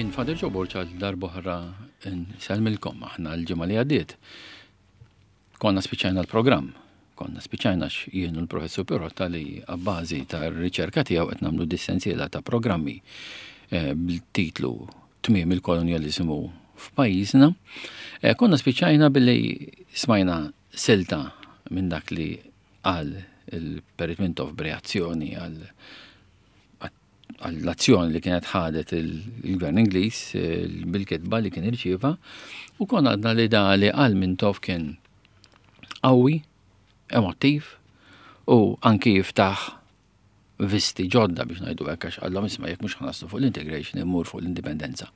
Jien Father Joe Borg għal darb'oħra nsellmilkom aħna l-ġimgħa li għaddiet. Konna spiċċajna l-programm. Konna spiċċajna jien u l-professur Pirotta li għabbażi tar-riċerka tiegħu qed nagħmlu dis-sensiela ta' programmi eh, bil-titlu Tmiem il-kolonjaliżmu f'pajjiżna. Eh, konna spiċċajna billi smajna silta minn dak li qal il-Perit Mintoff b'reazzjoni għal għall-azzjoni li kienet ħadet il-Gvern Ingliż eh, bil-kitba li kien irċieva u konna għadna li da li qal Mintoff kien qawwi, emottiv u anki jiftaħ visti ġodda biex ngħidu hekk għax qallhom isma' jekk mhux ħanaslu fuq l-integration immur fuq l-indipendenza.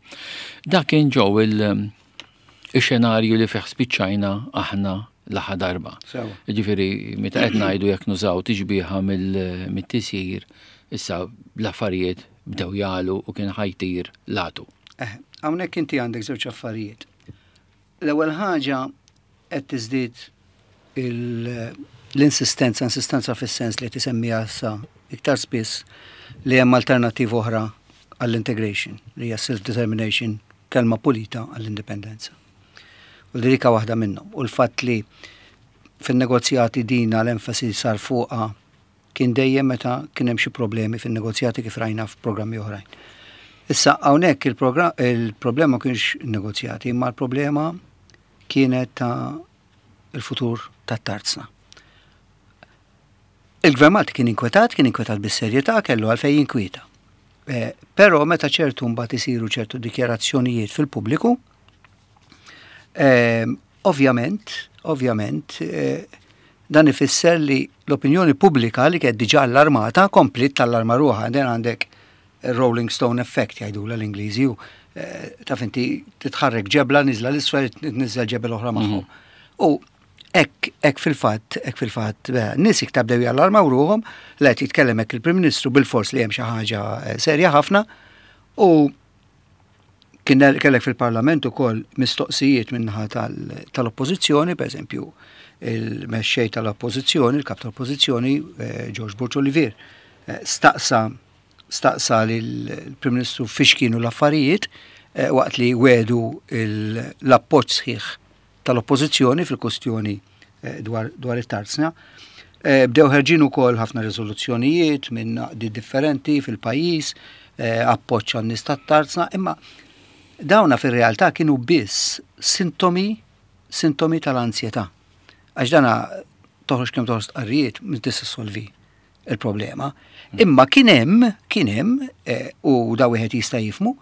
Dak kien ġew il-xenarju li fih spiċċajna aħna l-aħħar darba. Ġifieri meta qed ngħidu jekk nużaw tixbiha mill-tisjir issa l-affarijiet bdew jalu u kien ħajtir latu. Eh, hawnhekk inti għandek żewġ affarijiet. L-ewwel ħaġa qed tiżdied l-insistenza, insistenza fis-sens li tisemmiha issa iktar spiss li hemm alternattiva oħra għall-integration, li hija self-determination, kelma pulita għall-indipendenza. U li dika waħda minnhom. U l-fatt li fin-negozjati dina l-enfasi sar fuqha kien dejjem meta kien hemm xi problemi fin-negozjati kif rajna f'programmi oħrajn. Issa hawnhekk il-problema kienx negozjati, imma l-problema kienet ta' il-futur tat-tarzna. Il-Gvern Malti kien inkwetat, kien inkwetat bis-serjetà, kellu għalfejn jinkwieta. Eh, però meta ċertu mbagħad isiru ċertu dikjarazzjonijiet fil-pubbliku, eh, ovvjament, ovvjament, eh, dan ifisser li l-opinjoni pubblika li kienet diġà allarmata kompliet tallarma ruħha. Den għandek Rolling Stone effect jgħidula l-Ingliżi u eh, taf inti titħarrek ġebla niżla l-isfel tniżel ġebel oħra magħhom. Mhm. U hekk hekk fil-fatt, hekk fil-fatt, eh, nies iktar bdew jallarmaw ruhom, li qed jitkellem hekk il-Prim Ministru bil-fors li hemm xi ħaġa eh, serja ħafna u Kien kellek fil-Parlament ukoll mistoqsijiet min-naħa tal-Oppożizzjoni, pereżempju il-mexxej tal-Oppożizzjoni, il-Kap tal-Oppożizzjoni, eh, George Borg Olivier, eh, staqsa staqsa lill-Prim Ministru fiex kienu l-affarijiet eh, waqt li wedu l-appoġġ sħiħ tal-Oppożizzjoni fil-kustjoni eh, dwar, dwar it-tarzna. Eh, bdew ħerġin ukoll ħafna riżoluzzjonijiet minn naqdi differenti fil-pajjiż, eh, appoġġ għan-nies tat-tarzna, imma dawna fir-realtà kienu biss sintomi sintomi tal-ansjetà. Għax dana toħroġ kemm toħroġ stqarrijiet mhux tista' solvi il-problema. Imma kien hemm, kien hemm, u da wieħed jista' jifmu,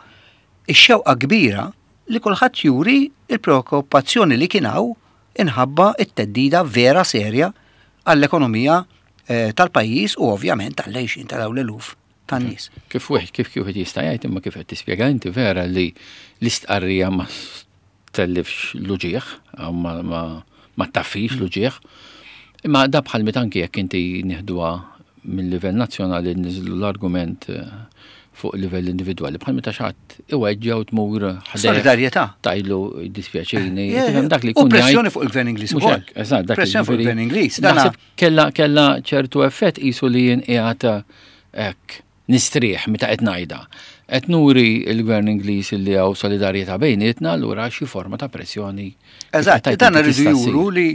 ix-xewqa kbira li kulħadd juri l-preokkupazzjoni li kien hawn inħabba t-theddida vera serja għall-ekonomija eh, tal-pajjiż u ovvjament għall-għejxin ta' dawn l-eluf tan-nies. Kif wieħed kif wieħed jista' jgħid imma kif qed tispjega inti vera li l-istqarrija ma tellifx l-uġigħ, ma, ma, ma taffix l-uġigħ. Imma da bħal meta anki jekk inti nieħduha mill-livell nazzjonali niżlu l-argument eh, fuq livell individwali bħal meta xi ħadd iweġġa' u tmur ħdejh. Solidarjetà. Tajlu dispjaċini. Eh, dak li jkun. U pressjoni fuq il-gvern Ingliż ukoll. Eżatt, dak Pressjoni fuq il-gvern Ingliż. Naħseb kella kella ċertu effett qisu li jien qiegħed hekk nistrieħ meta qed ngħidha. Qed nuri l-gvern Ingliż li hawn solidarjetà bejnietna allura xi forma ta' pressjoni. Eżatt, dan rridu juru li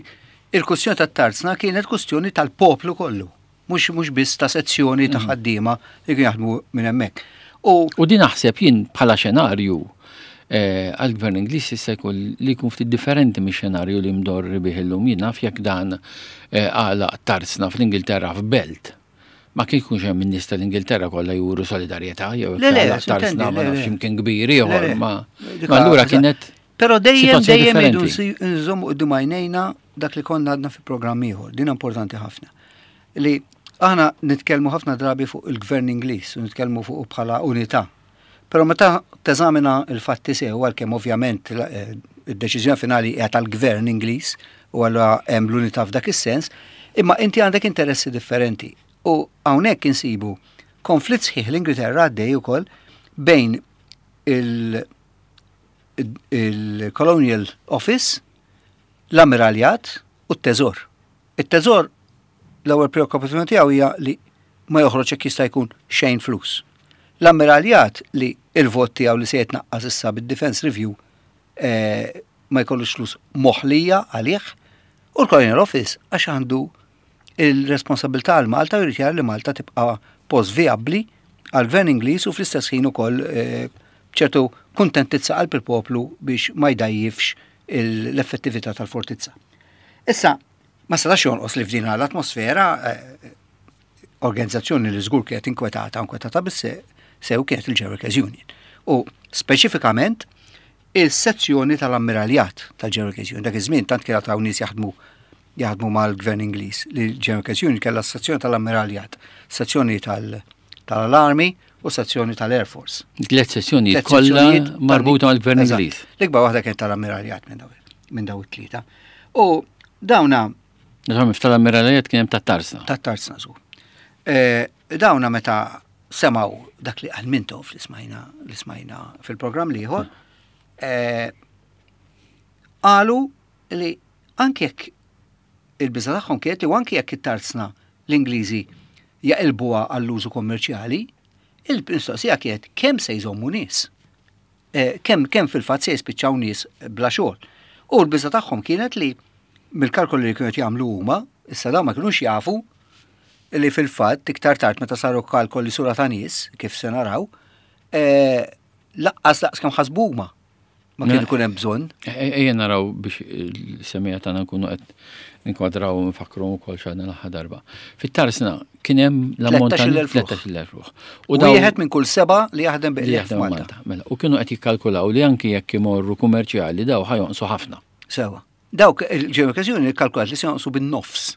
il-kustjoni tat-tarzna kienet kustjoni tal-poplu kollu mhux mhux biss ta' sezzjoni ta' mhm. ħaddiema li kienu jaħdmu minn hemmhekk. U, u din naħseb jien bħala xenarju eh, għal-gvern Ingliż jista' jkun li jkun ftit differenti mix-xenarju li mdorri bih illum jien naf jekk dan eh, għalaq tarzna fl-Ingilterra f'belt. Ma kien jkunx hemm in-nies tal-Ingilterra kollha juru solidarjetà jew tarzna ma nafx imkien kbir ieħor ma allura kienet Però dejjem dejjem idu nżommu quddiem għajnejna dak li konna għadna fi programm ieħor, din importanti ħafna. Li aħna nitkellmu ħafna drabi fuq il-gvern Ingliż u nitkellmu fuq bħala unità. Però meta teżamina l-fatti sew għalkemm ovvjament eh, id-deċiżjoni finali hija tal-gvern Ingliż u allura hemm l-unità f'dak is-sens, imma inti għandek interessi differenti. U hawnhekk insibu konflitt sħiħ l-Ingilterra għaddej ukoll bejn il- il-Colonial Office, l-Ammiraljat u t-Teżor. It-Teżor l-ewwel preokkupazzjoni tiegħu hija li ma joħroġ jekk jista' jkun xejn flus. L-Ammiraljat li il-vot tiegħu li se jitnaqqas issa bid-Defence Review eh, ma jkollux flus moħlija għalih, u l-Colonial Office għax għandu il-responsabilità għal Malta u jrid jara li Malta tibqa' post vijabbli għall-Gvern Ingliż u fl-istess ħin ukoll eh, ċertu kuntentizza qalb il-poplu biex ma jdajjifx l-effettività tal-fortizza. Issa, ma setax jonqos li f'din l-atmosfera eh, organizzazzjoni li żgur kienet inkwetata, inkwetata biss sew kienet il-General Workers Union. U speċifikament il-sezzjoni tal-ammiraljat tal-General Workers Union. Dak iż-żmien tant kienet hawn nies jaħdmu jaħdmu mal-Gvern Ingliż li l-General Workers Union kellha s-sezzjoni tal-ammiraljat, sezzjoni tal-Army u sezzjoni tal-Air Force. Tliet sezzjonijiet kollha marbuta mal-Gvern Ingliż. L-ikbar waħda kienet tal-ammiraljat minn daw it-tlieta. U dawna Naturalment tal-ammiraljat kien hemm tat-tarzna. Tat-tarzna żgur. Eh, dawna meta semaw dak li qal Mintoff li smajna li smajna fil-programm liħor, eh, qalu li anke jekk il-biża tagħhom kienet li anke jekk it-tarzna l-Ingliżi jaqilbuha għall-użu kommerċjali, il-mistoqsija kienet kemm se jżommu nies. Eh, kemm kemm fil-fatt se jispiċċaw nies bla xogħol. U l-biża tagħhom kienet li mill-kalkoli li kienu qed jagħmlu huma, issa dawn ma kinux jafu li fil-fatt iktar tard meta saru kalkoli sura ta' nies, kif se naraw, eh, laqqas laqs kemm ħasbu huma ma kien ikun hemm bżonn. E, e, ejja naraw biex il-semija tagħna nkunu qed nkwadraw u nfakru wkoll x'għadna l-aħħar darba. Fit-tarsna kien hemm l-ammont ta' 13,000 ruħ. U wieħed minn kull seba' li jaħdem bi Malta. Mela, u kienu qed jikkalkulaw li anki jekk imorru kummerċjali daw ħajonqsu ħafna. Sewa. Dawk il-ġew kalkulat li se jonqsu bin-nofs.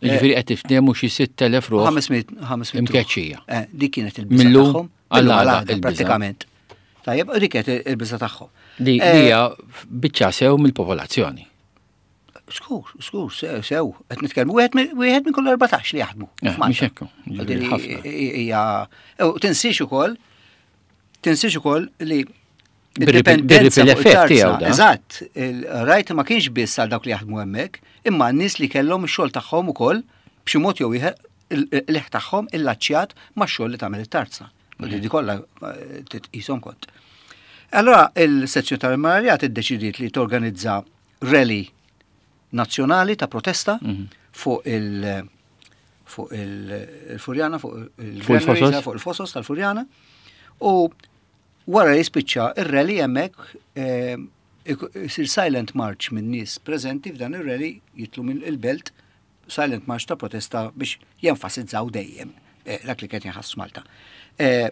Ġifieri qed tiftehmu xi 6,000 ruħ. 500 500 imkeċċija. Eh, dik kienet il-biża tagħhom. Għall-għada pratikament. Tajjeb, dik kienet il-biża tagħhom. Li eh, hija biċċa sew mill-popolazzjoni. Skur, skur, sew, qed nitkellmu wieħed minn kull 14 li jaħdmu. Eh, mhux hekk. Hija tinsiex ukoll tinsiex ukoll li Id-dipendenza effett tiegħu. Eżatt, rajt ma kienx biss għal dawk li jaħdmu hemmhekk, imma n-nies li kellhom ix-xogħol tagħhom ukoll b'xi mod jew ieħor il-liħ tagħhom illaċċjat max-xogħol li tagħmel it-tarza. U li di kollha eh, titqishom kont. Allora il-sezzjoni tal-Marjat iddeċidiet li torganizza rally nazzjonali ta' protesta mhm. fuq il- fuq il-Furjana, fuq il-Fosos, fuq il-Fosos tal-Furjana. U Wara li jispiċċa ir-rally hemmhekk eh, isir silent march minn nies preżenti f'dan ir-rally jitlu minn il-belt silent march ta' protesta biex jenfasizzaw dejjem eh, dak li kien jinħass Malta. Eh,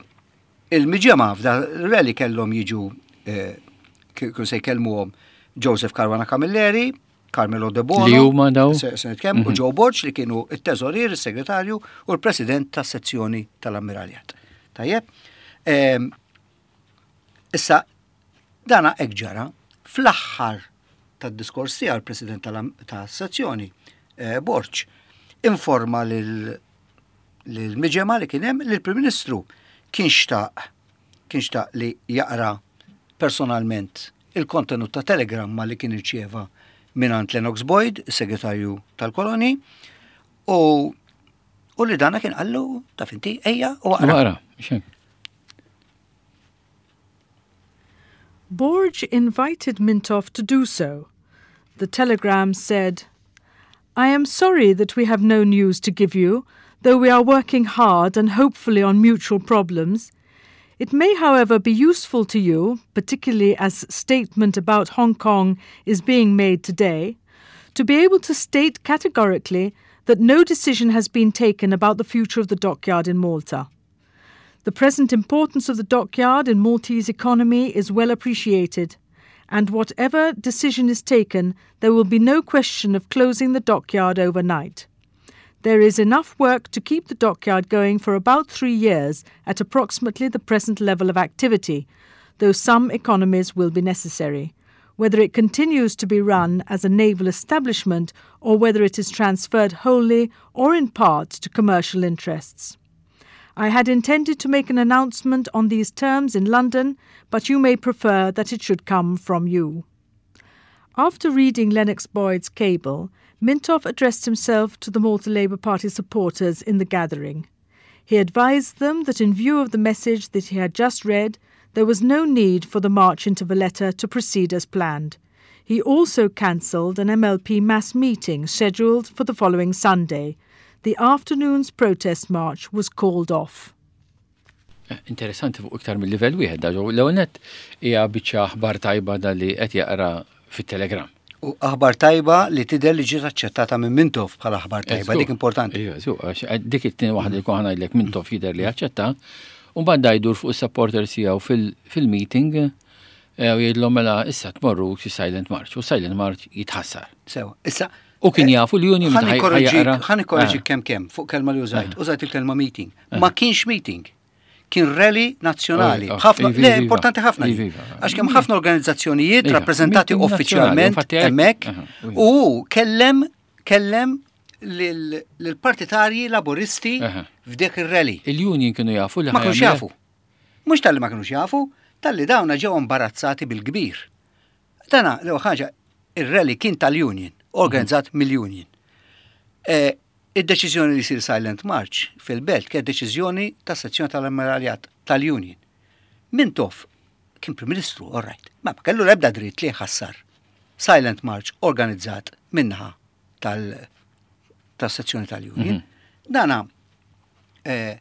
il-miġemgħa f'dan ir-rally kellhom jiġu kienu se jkellmuhom Joseph Caruana Camilleri, Carmelo De Bono. Li huma daw? Se nitkellem, u mhm. Joe Borg li kienu it-teżorier, is-segretarju u l-president tas-sezzjoni tal-ammiraljat. Tajjeb? Ehm, issa, dana hekk ġara fl-aħħar tad-diskors tiegħu l-president tas-sezzjoni, eh, Borg, informa lil miġema li kien hemm li l-Prim Ministru kien xtaq kien xtaq li jaqra personalment il-kontenut ta' telegramma li kien irċieva mingħand Lennox Boyd, is-segretarju tal-koloni, u u li dana kien qallu taf inti ejja u aqra. Borg invited Mintoff to do so. The telegram said, I am sorry that we have no news to give you, though we are working hard and hopefully on mutual problems. It may, however, be useful to you, particularly as statement about Hong Kong is being made today, to be able to state categorically that no decision has been taken about the future of the dockyard in Malta. The present importance of the dockyard in Maltese economy is well appreciated, and whatever decision is taken, there will be no question of closing the dockyard overnight. There is enough work to keep the dockyard going for about three years at approximately the present level of activity, though some economies will be necessary. Whether it continues to be run as a naval establishment or whether it is transferred wholly or in part to commercial interests. I had intended to make an announcement on these terms in London, but you may prefer that it should come from you. After reading Lennox Boyd's cable, Mintoff addressed himself to the Malta Labour Party supporters in the gathering. He advised them that in view of the message that he had just read, there was no need for the march into Valletta to proceed as planned. He also cancelled an MLP mass meeting scheduled for the following Sunday. The afternoon's protest march was called off. Eh, interessanti fuq iktar mill-livell wieħed da l-ewwel nett hija biċċa aħbar tajba da li qed jaqra fit-Telegram. U aħbar tajba li tidher li ġiet aċċettata minn Mintoff bħala aħbar tajba, dik importanti. Iva, eh, dik it-tieni waħda li kont ngħidlek Mintoff jidher li aċċetta, u mbagħad da jdur fuq is-supporters tiegħu fil-meeting eh, u jgħidlhom mela issa tmorru xi silent march u silent march jitħassar. Sewa, issa U kien eh, jafu l-union ħa nikkorreġik kemm kemm fuq kelma li użajt, użajt il-kelma meeting. Ma kienx meeting kien rally nazzjonali. Oh, oh, ħafna, le, importanti ħafna. Għax kemm ħafna organizzazzjonijiet rappreżentati uffiċjalment hemmhekk u kellem kellem lill-partitarji laburisti f'dik ir-rally. Il-union kienu jafu li ma kienux jafu. Mhux tal-li ma kienux jafu, tal-li dawna ġew imbarazzati bil-kbir. Dana, l ħaġa, ir-rally kien tal-union, organizzat mill-union. Eh, Id-deċiżjoni li jsir Silent March fil-Belt kienet deċiżjoni tas-sezzjoni tal-Ammiraljat tal-Union. Mintoff kien Prim Ministru, all right, ma ma kellu l-ebda dritt li jħassar Silent March organizzat min-naħa tas-sezzjoni tal-Union. Mhm. Dana eh,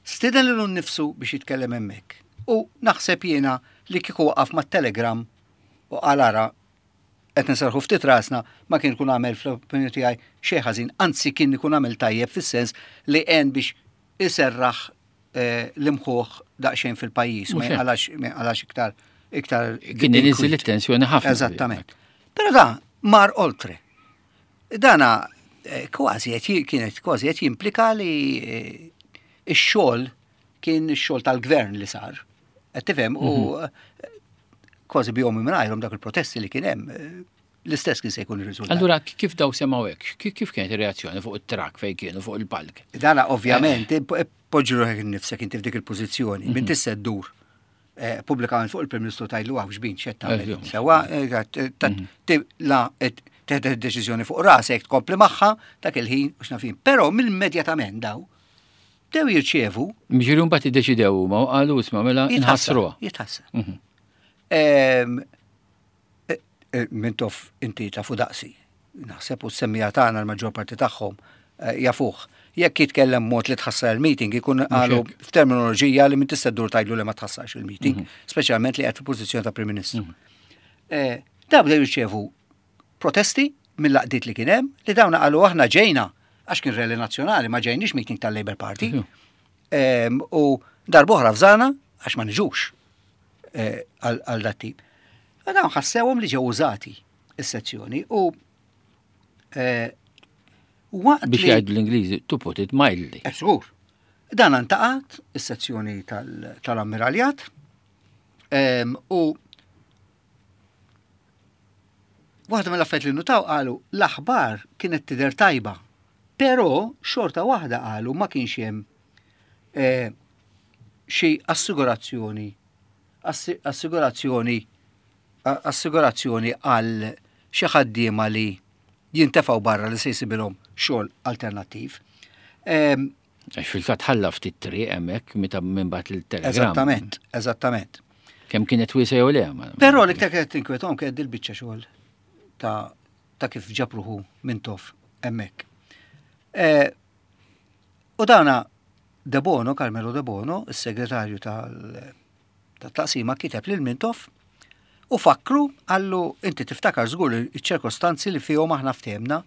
stieden lilu nnifsu biex jitkellem hemmhekk. U naħseb jiena li kieku waqaf mat-telegram u qal ara qed nserrħu ftit rasna ma kien ikun għamel fl-opinjoni tiegħi xejn ħażin, anzi kien ikun għamel tajjeb fis-sens li għen biex iserraħ eh, l-imħuħ daqsxejn fil-pajjiż, ma jinqalax iktar iktar. Kien iniżel it-tensjoni ħafna. Eżattament. Però da mar oltre. Dana eh, kważi qed kienet kważi qed jimplika li eh, x-xogħol kien ix-xogħol tal-gvern li sar. Qed tifhem u mhm. kważi bihom mingħajrhom dak il-protesti li kien hemm eh, l-istess kien se jkun ir-riżultat. Allura kif daw semgħu hekk? Kif kienet ir-reazzjoni fuq it-trak fejn kienu fuq il-palk? Dana ovvjament eh. poġġi ruħek innifsek inti f'dik il-pożizzjoni, minn mhm. tista' ddur eh, pubblikament fuq il-Prim Ministru tajlu għaw xbin xed tagħmel. Sewa mhm. la teħed deċiżjoni fuq rasek tkompli magħha dak il-ħin u x'nafin. Però mill-immedjatament daw Bdew jirċievu. Ġifieri mbagħad iddeċidew huma u qalu isma' mela nħassruha. Jitħassar. Mhm. E, e, Mintoff inti tafu daqsi. Naħseb u s-semmija tagħna l-maġġor parti tagħhom e, jafuh. Jekk jitkellem mod li tħassar il-meeting, ikun qalu f'terminoloġija li minn tista' ddur tgħidlu li ma tħassarx il-meeting, mhm. speċjalment li qed fil-pożizzjoni ta' Prim Ministru. Mhm. Da bdew jirċievu protesti mill-għaqdiet li kien hemm li dawn qalu aħna ġejna għax kien rally nazzjonali ma ġejniex meeting tal-Labour Party. U darb'oħra fżana għax ma niġux eh, għal dat tip. Dawn ħassewhom li ġew użati is-sezzjoni u eh, waqt biex jgħidu l-Ingliżi to put it mildly. Eh, żgur. Dan antaqat is-sezzjoni tal-ammiraljat u Waħda mill-affarijiet li nnutaw qalu l-aħbar kienet tidher tajba, però xorta waħda qalu ma kienx hemm eh, xi assigurazzjoni assigurazzjoni assigurazzjoni għal xi ħaddiema li jintefgħu barra li se jsibilhom xogħol alternattiv. Ehm, Għax fil-fatt ħalla ftit triq hemmhekk meta minn bat il-telegram. Eżattament, eżattament. Kemm kienet wiesa jew le. Però l-iktar kienet tinkwetom kienet dil-biċċa xogħol ta' ta' kif ġabruħu minn tof hemmhekk. E, u dana De Bono, Carmelo De Bono, is-segretarju tal-taqsima kiteb lil Mintoff u fakru għallu inti tiftakar żgur iċ-ċirkostanzi li fihom aħna ftehemna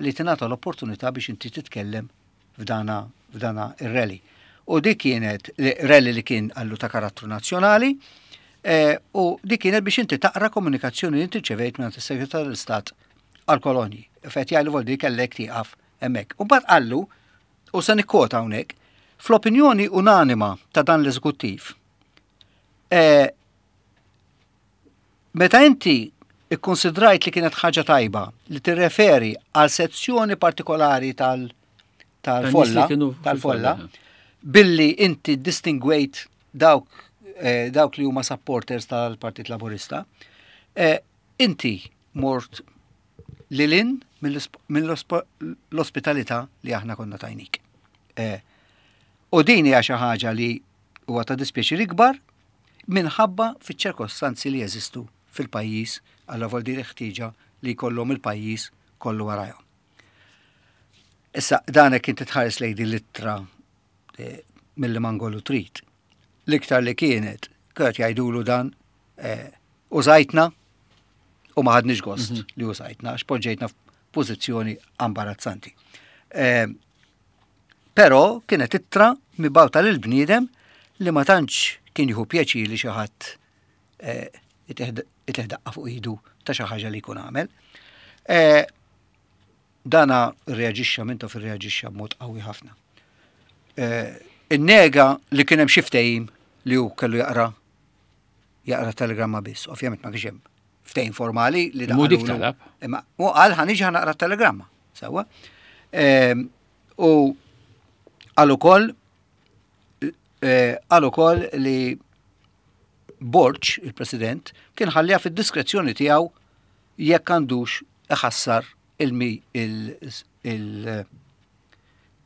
li tingħata l-opportunità biex inti titkellem f'dana f'dana ir-rally. U dik kienet rally li kien għallu ta' karattru nazzjonali eh, u dik kienet biex inti taqra komunikazzjoni li inti ċevejt minn is-Segretarju tal-Istat għal-kolonji. Fet jgħidu voldi kellek tieqaf hemmhekk. U mbagħad qallu, u se nikkota hawnhekk, fl-opinjoni unanima ta' dan l-eżekuttiv, eh, Meta inti ikkunsidrajt li kienet ħaġa tajba li tirreferi għal sezzjoni partikolari tal-folla, tal-folla, billi inti distingwejt dawk eh, dawk li huma supporters tal-Partit Laburista, eh, inti mort lilin mill-ospitalità li aħna konna tajnik. Eh, U din hija xi ħaġa li huwa ta' dispjaċir ikbar minħabba fiċ-ċirkostanzi li jeżistu fil-pajjiż għal voldi ħtieġa li jkollhom il-pajjiż kollu warajhom. Issa, dan hekk inti tħares lejn din l-ittra eh, milli mangolu trid. L-iktar li kienet, kienet jgħidulu dan eh, użajtna u ma ħadniex gost mhm. li użajtna, għax poġġejtna f'pożizzjoni ambarazzanti. Eh, però kienet ittra mibgħuta lil bniedem li ma tantx kien jieħu pjaċir li xi ħadd eh, itih daqqa fuq idu ta' xi ħaġa li jkun għamel. Eh, dana reaġixxa Mintoff irreaġixxa b'mod qawwi ħafna. Innega li kien hemm xi ftehim li hu kellu jaqra jaqra telegramma biss. Ovvjament ma kienx hemm ftehim formali li Mhu dik talab. Imma u qal ħa niġi ħa naqra telegramma. Sewwa. Ehm, u qal ukoll eh, qal ukoll li Borg, il-President, kien ħalliha fid-diskrezzjoni tiegħu jekk għandux iħassar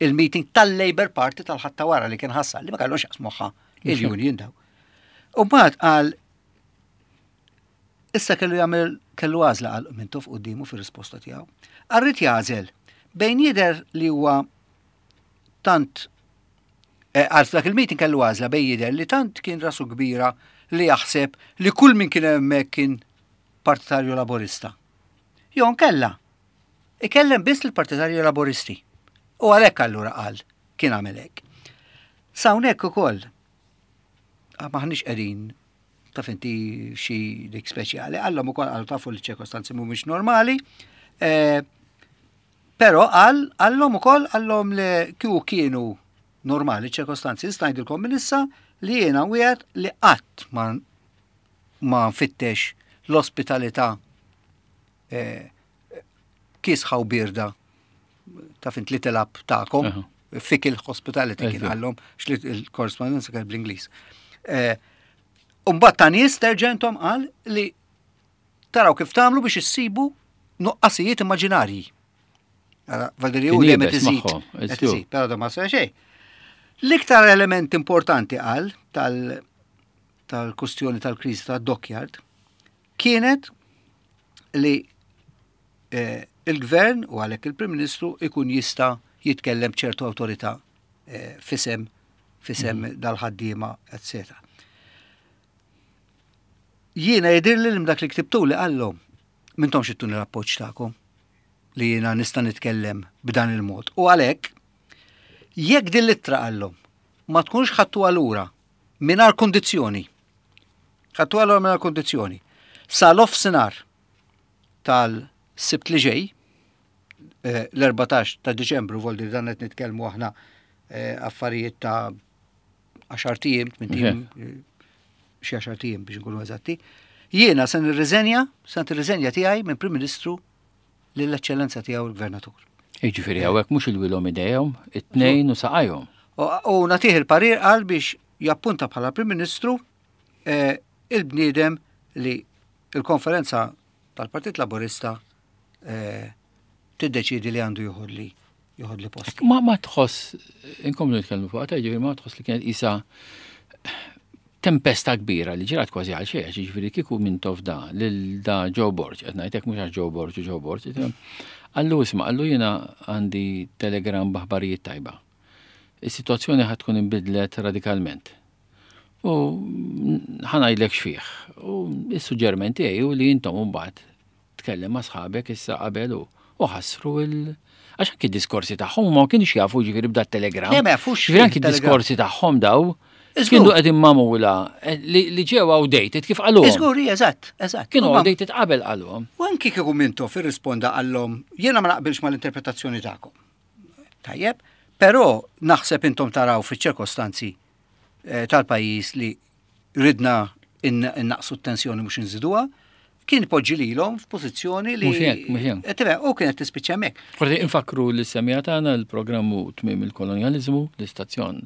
il-meeting tal-Labour Party tal-Ħadd ta' wara li kien ħassar li ma kellhomx jaqsmuha il-union daw. U mbagħad qal issa kellu jagħmel kellu għażla qal Mintoff quddiemu fir-risposta tiegħu. Qal jagħżel bejn jidher li huwa tant eh, għal f'dak il-meeting kellu għażla bejn jidher li tant kien rasu kbira li jaħseb li kull min kien hemmhekk kien partitarju laborista. Jew nkella ikellem biss l-partitarju laboristi. U għalhekk allura qal kien għamel hekk. S'hawnhekk ukoll ah, maħniex qegħdin taf inti xi dik speċjali, qallhom ukoll qalu tafu li ċirkostanzi mhumiex normali. Eh, però qal qallhom ukoll qallhom li kieku kienu normali ċirkostanzi, nista' ngħidilkom minn issa li jiena wieħed li qatt ma ma nfittex l-ospitalità eh, kiesħa u birda taf int li tilab tagħkom, fickle hospitality kien għallhom, xli il-korrespondenza kien bl-Ingliż. Eh, Umbat ta' nies terġentom qal li taraw kif tagħmlu biex issibu nuqqasijiet immaġinarji. Valderi u dejjem qed iżid, però da ma sar xejn. L-iktar element importanti qal tal-kustjoni tal-kriżi tad-dockyard kienet li eh, il-gvern u għalhekk il-Prim Ministru ikun jista' jitkellem b'ċertu awtorità eh, fisem fisem mhm. dal-ħaddiema, etc. Jiena jidirli li dak li ktibtu li qallhom mintom xittuni l-appoġġ tagħkom li jiena nista' nitkellem b'dan il-mod. U għalhekk jekk din l-ittra qallhom ma tkunx ħadtu għalura mingħajr kondizzjoni. Ħadtu għalura mingħajr kondizzjoni. Sa l-offsinar tal-Sibt li ġej, eh, l-14 ta' Diċembru, voldi dan qed nitkellmu aħna eh, affarijiet ta' 10 tiem, 8 tiem, eh, xi 10 tiem biex nkunu eżatti. Jiena se nirriżenja, se nirriżenja tiegħi minn Prim Ministru lill-Eċċellenza tiegħu l-Gvernatur. Jiġifieri hawnhekk mhux il-wilhom idejhom, it-tnejn u saqajhom. U nagħtih il-parir qal biex jappunta bħala Prim Ministru il-bniedem li il-konferenza tal-Partit Laburista eh, tiddeċidi li għandu joħodli joħodli post. Ma ma tħoss, inkomplu nitkellmu fuq għata, ġifieri ma tħoss li kienet isa tempesta kbira li ġrat kważi għal xejn, ġifieri kieku Mintoff da lil da Joe Borg, qed ngħidlek mhux għax Joe Borg u Joe Borg, qallu isma' qallu jiena għandi telegram b'aħbarijiet tajba. Is-sitwazzjoni ħad tkun inbidlet radikalment. U ħa ngħidlek x'fih. U s-suġġerment tiegħi hu li intom mbagħad tkellem ma' sħabek issa qabel u u ħassru il għax anki diskorsi tagħhom ma kienx jafu ġifieri b'da telegram. Le, ma jafux Ġifieri anki diskorsi tagħhom daw kienu qegħdin magħmula eh, li ġew outdated kif qalhom. Iżgur, eżatt, eżatt. Kienu outdated qabel qalhom. U anki kieku Mintoff irrisponda qallhom jiena ma naqbilx mal-interpretazzjoni tagħkom. Tajjeb, però naħseb intom taraw fiċ-ċirkostanzi eh, tal-pajjiż li ridna innaqsu t-tensjoni mhux inżiduha, kien poġġi lilhom f'pożizzjoni li. Mhux hekk, mhux hekk. Eh, u kienet tispiċċa hemmhekk. Forsi infakru li semija tagħna l-programmu tmiem il-kolonjaliżmu, l-istazzjon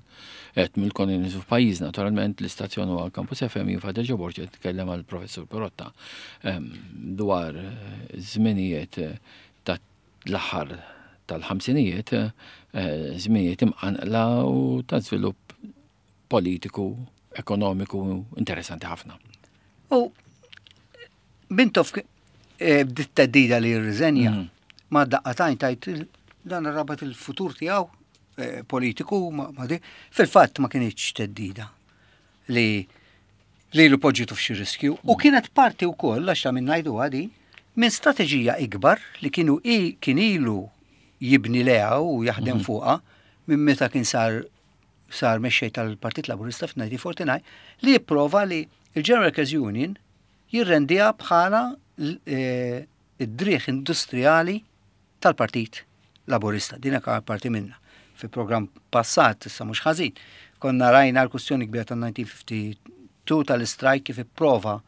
qed mill-kolonjaliżmu f'pajjiżna, naturalment l-istazzjon huwa Campus FM jien Father Joe Borg qed nitkellem għall professur Pirotta ehm, dwar eh, żminijiet eh, ta' l-aħħar tal-ħamsinijiet, żminijiet imqanqla u ta' żvilupp politiku, ekonomiku interessanti ħafna. U Mintoff eh, bdiet teddida li jirriżenja mhm. ma daqqatajn tajt dan rabat il-futur tiegħu eh, politiku ma di. Fil-fatt ma kienx teddida li li l poġġitu f'xi riskju u mhm. kienet parti wkoll għax ta' minn ngħidu għadi minn strateġija ikbar li kienu kien ilu jibni leha u jaħdem mhm. fuqha minn meta kien sar sar mexxej tal-Partit Laburista f'1949 li jipprova li il-General Workers Union jirrendiha bħala eh, id-driegħ industrijali tal-Partit Laburista. Din hekk parti minna. Fi programm passat, issa mhux ħażin, konna rajna l-kustjoni kbira tal-1952 tal-istrajk kif ipprova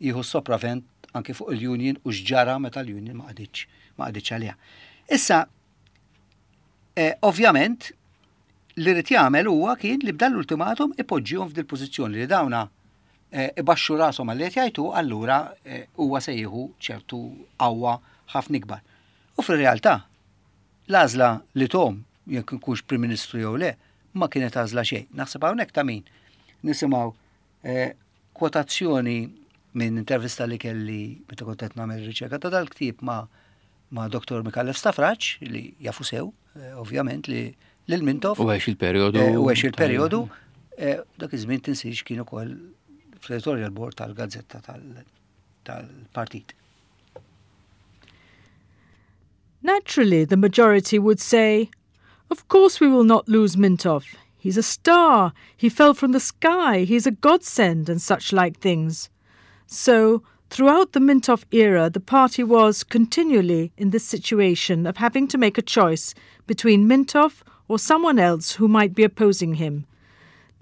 jieħu sopravent anke fuq il-union u x'ġara meta l-union ma qagħditx ma qagħditx għaliha. Issa, eh, ovvjament, li rrid jagħmel huwa kien li b'dan l-ultimatum ipoġġihom f'dil pożizzjoni li dawna eh, ibaxxu rashom għal qed jgħidu allura eh, huwa se jieħu ċertu qawwa ħafna ikbar. U fir-realtà, l-għażla li tom jekk ikunx Prim Ministru jew le, ma kienet għażla xejn. Naħseb hawnhekk ta' min nisimgħu eh, kwotazzjoni minn intervista li kelli meta kont qed nagħmel riċerka ta' dal-ktieb ma' ma' Dr. Micallef Stafrace li jafu sew, eh, ovvjament li lil Mintoff. U għex il-perjodu. Eh, u għex il-perjodu. Eh, dak iż-żmien tinsiex kien ukoll fl-editorial board tal-gazzetta tal-partit. Naturally, the majority would say, Of course we will not lose Mintoff. He's a star. He fell from the sky. He's a godsend, and such like things. So, throughout the Mintoff era, the party was continually in this situation of having to make a choice between Mintoff or someone else who might be opposing him.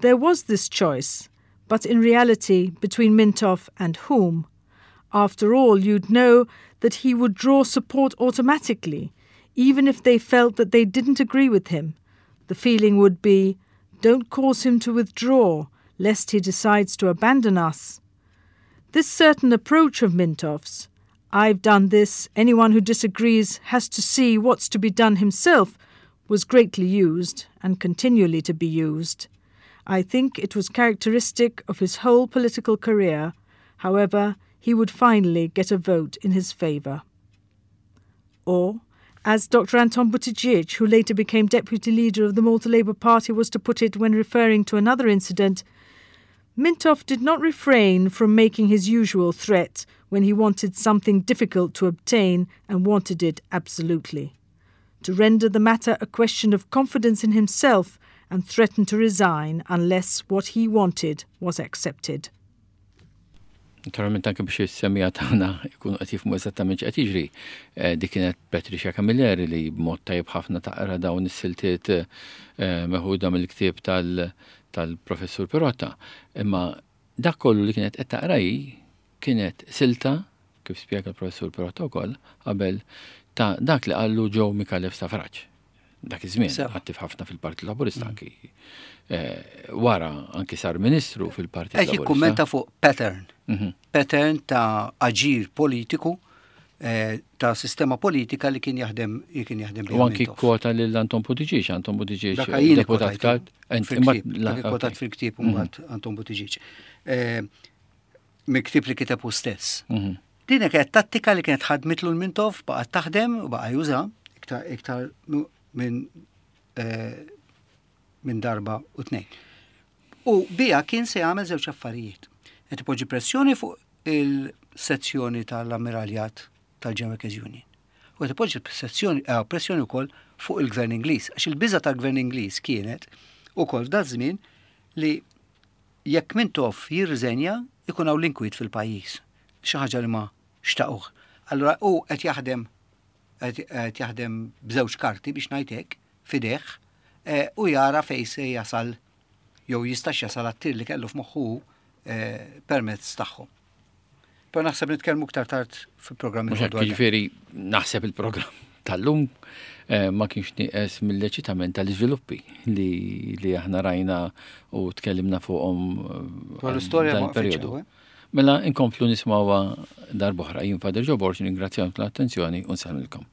There was this choice, but in reality, between Mintoff and whom? After all, you'd know that he would draw support automatically, even if they felt that they didn't agree with him. The feeling would be, don't cause him to withdraw, lest he decides to abandon us. This certain approach of Mintoff's, I've done this, anyone who disagrees has to see what's to be done himself, was greatly used and continually to be used. I think it was characteristic of his whole political career. However, he would finally get a vote in his favour. Or, as Dr. Anton Buttigieg, who later became deputy leader of the Malta Labour Party, was to put it when referring to another incident, Mintoff did not refrain from making his usual threat when he wanted something difficult to obtain and wanted it absolutely. To render the matter a question of confidence in himself and threaten to resign unless what he wanted was accepted. Naturalment anke biex is-semija tagħna jkunu qed jifhmu eżattament x'qed jiġri. Eh, dik kienet Patricia Camilleri li b'mod tajjeb ħafna taqra dawn is-siltiet eh, meħuda mill-ktieb tal-professur Pirotta. Imma dak kollu li kienet qed taqra hi kienet silta, kif spjega l-professur Pirotta wkoll, qabel ta' dak li qallu Joe Micallef Stafrace. Dak iż-żmien attiv ħafna fil-Partit Laburista mm. anki eh, wara anki sar ministru fil-Partit Laburista. Qed jikkummenta fuq pattern. Mhm. Pattern ta' aġir politiku eh, ta' sistema politika li kien jaħdem li kien jaħdem U anki kwota lil Anton Buttigieg, Anton Buttigieg deputat kalt. Dak fil-ktieb mhm. mbagħad Anton Buttigieg. Eh, Mill-ktieb li kiteb hu stess. Mhm. Din kienet tattika li kienet ħadmitlu l-Mintoff, baqgħet taħdem u baqa' juża iktar iktar minn eh, minn darba u tnejn. U bija kien se jagħmel żewġ affarijiet. Qed ipoġġi pressjoni fuq il-sezzjoni tal-ammiraljat tal-General Workers Union. U qed ipoġġi pressjoni eh, pressjoni wkoll fuq il-Gvern Ingliż, għax il-biża tal-Gvern Ingliż kienet ukoll f'dan żmien li Jekk Mintoff jirriżenja jkun hawn l-inkwiet fil-pajjiż. Xi ħaġa li ma xtaquh. Allura hu qed jaħdem qed jaħdem b'żewġ karti biex ngħid hekk f'idejh eh, u jara fejn se jasal jew jistax jasal għat-tir li kellu f'moħħu eh, permezz tagħhom. Pero naħseb nitkellmu iktar tard fil-programm. Mhux hekk, jiġifieri naħseb il-programm tal-lum eh, ma kienx nieqes mill-eċitament tal-iżviluppi li, li aħna rajna u tkellimna fuqhom eh, Dwar l-istorja ma periodu. Eh? Mela inkomplu nismawha darb'oħra. Jien Father Joe Borg ningrazzjakom tal-attenzjoni u nsellmilkom.